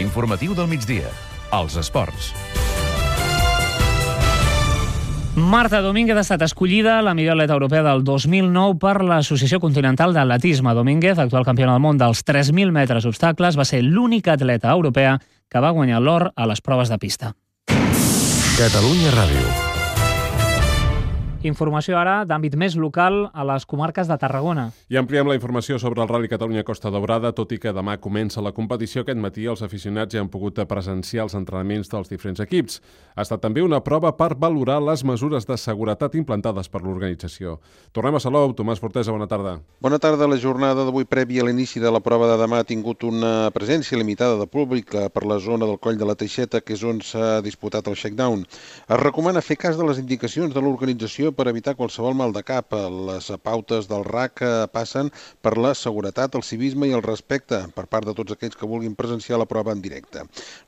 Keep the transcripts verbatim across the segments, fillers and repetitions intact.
L'informatiu del migdia. Els esports. Marta Domínguez ha estat escollida la millor atleta europea del dos mil nou per l'Associació Continental d'Atletisme. Domínguez, actual campiona del món dels tres mil metres obstacles, va ser l'única atleta europea que va guanyar l'or a les proves de pista. Catalunya Ràdio. Informació ara d'àmbit més local a les comarques de Tarragona. I ampliem la informació sobre el Rally Catalunya Costa Daurada, tot i que demà comença la competició. Aquest matí els aficionats ja han pogut presenciar els entrenaments dels diferents equips. Ha estat també una prova per valorar les mesures de seguretat implantades per l'organització. Tornem a Salou. Tomàs Fortesa, bona tarda. Bona tarda. La jornada d'avui prèvia a l'inici de la prova de demà ha tingut una presència limitada de públic per la zona del Coll de la Teixeta, que és on s'ha disputat el shakedown. Es recomana fer cas de les indicacions de l'organització per evitar qualsevol mal de cap. Les pautes del R A C passen per la seguretat, el civisme i el respecte per part de tots aquells que vulguin presenciar la prova en directe.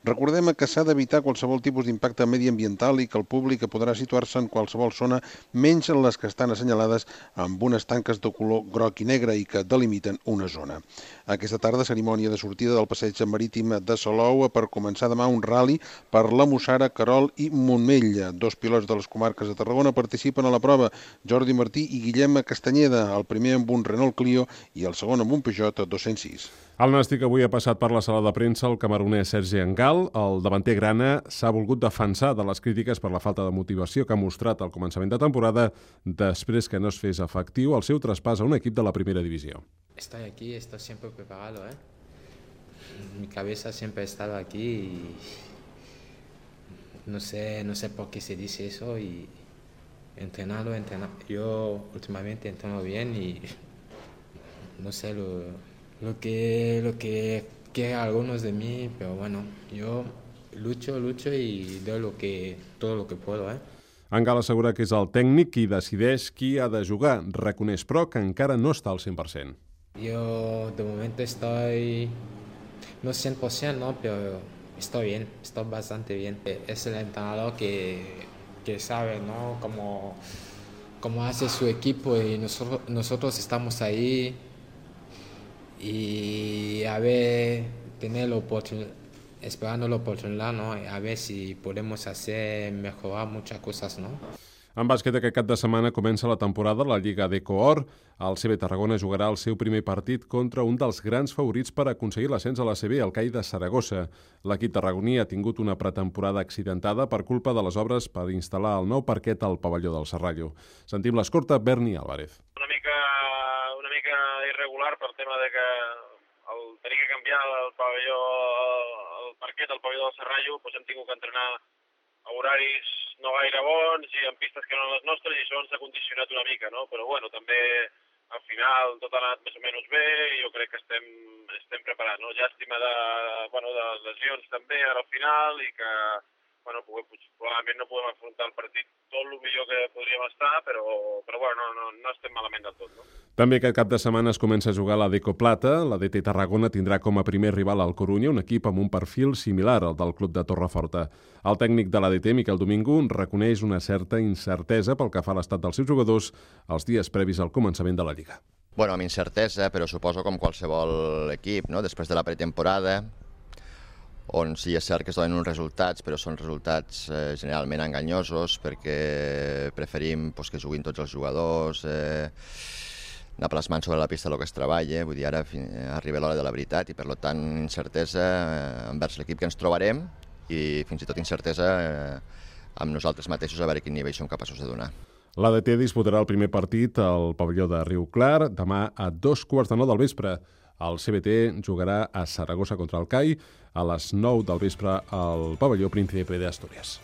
Recordem que s'ha d'evitar qualsevol tipus d'impacte mediambiental i que el públic podrà situar-se en qualsevol zona menys en les que estan assenyalades amb unes tanques de color groc i negre i que delimiten una zona. Aquesta tarda, cerimònia de sortida del passeig marítim de Salou per començar demà un rally per la Mussara, Querol i Montmell. Dos pilots de les comarques de Tarragona participen a la prova, Jordi Martí i Guillem Castanyeda, el primer amb un Renault Clio i el segon amb un Peugeot dos-cents sis. El Nàstic avui ha passat per la sala de premsa el camerunès Sergi Engal. El davanter grana s'ha volgut defensar de les crítiques per la falta de motivació que ha mostrat al començament de temporada després que no es fes efectiu el seu traspàs a un equip de la primera divisió. Estoy aquí, estoy siempre preparado, ¿eh? Mi cabeza siempre ha estado aquí y no sé, no sé por qué se dice eso y entrenarlo, entrenar. Yo últimamente entreno bien y no sé lo, lo que lo que quieren algunos de mí, pero bueno, yo lucho, lucho y doy lo que todo lo que puedo, ¿eh? Engal assegura que és el tècnic qui decideix qui ha de jugar. Reconeix, però, que encara no està al cent per cent. Yo de momento estoy, no cien por ciento, ¿no? Pero estoy bien, estoy bastante bien. Es el entrenador que, que sabe, ¿no? Cómo, cómo hace su equipo y nosotros, nosotros estamos ahí y a ver, tener la oportunidad, esperando la oportunidad, ¿no? A ver si podemos hacer mejorar muchas cosas, ¿no? En bàsquet, aquest cap de setmana comença la temporada a la Lliga d'Ecoor. El C B Tarragona jugarà el seu primer partit contra un dels grans favorits per aconseguir l'ascens a la C B, el C A I de Saragossa. L'equip tarragoní ha tingut una pretemporada accidentada per culpa de les obres per instal·lar el nou parquet al pavelló del Serrallo. Sentim l'escorta Berni Álvarez. Una mica, una mica irregular pel tema de que el tenir que canviar el pavelló, el parquet al pavelló del Serrallo, doncs hem tingut que entrenar a horaris no gaire bons i en pistes que no eren les nostres i això ens ha condicionat una mica, no? Però bueno, també al final tot ha anat més o menys bé i jo crec que estem, estem preparats, no? Llàstima de, bueno, de lesions també ara al final i que bueno, probablement no podem afrontar el partit tot el millor que podríem estar, però, però bueno, no, no, no estem malament del tot, no? També aquest cap de setmana es comença a jugar la Deco Plata. La D T Tarragona tindrà com a primer rival al Corunya, un equip amb un perfil similar al del club de Torreforta. El tècnic de la D T, Miquel Domingo, reconeix una certa incertesa pel que fa a l'estat dels seus jugadors els dies previs al començament de la Lliga. Bueno, amb incertesa, però suposo com qualsevol equip, no? Després de la pretemporada, on sí és cert que es donen uns resultats, però són resultats eh, generalment enganyosos perquè preferim pues, que juguin tots els jugadors, eh, anar plasmant sobre la pista el que es treballa, vull dir, ara arriba l'hora de la veritat i per tant incertesa eh, envers l'equip que ens trobarem i fins i tot incertesa eh, amb nosaltres mateixos a veure quin nivell som capaços de donar. La D T disputarà el primer partit al pavelló de Riu Clar demà a dos quarts de nou del vespre. El C B T jugarà a Saragossa contra el C A I a les nou del vespre al pavelló Príncipe de Asturias.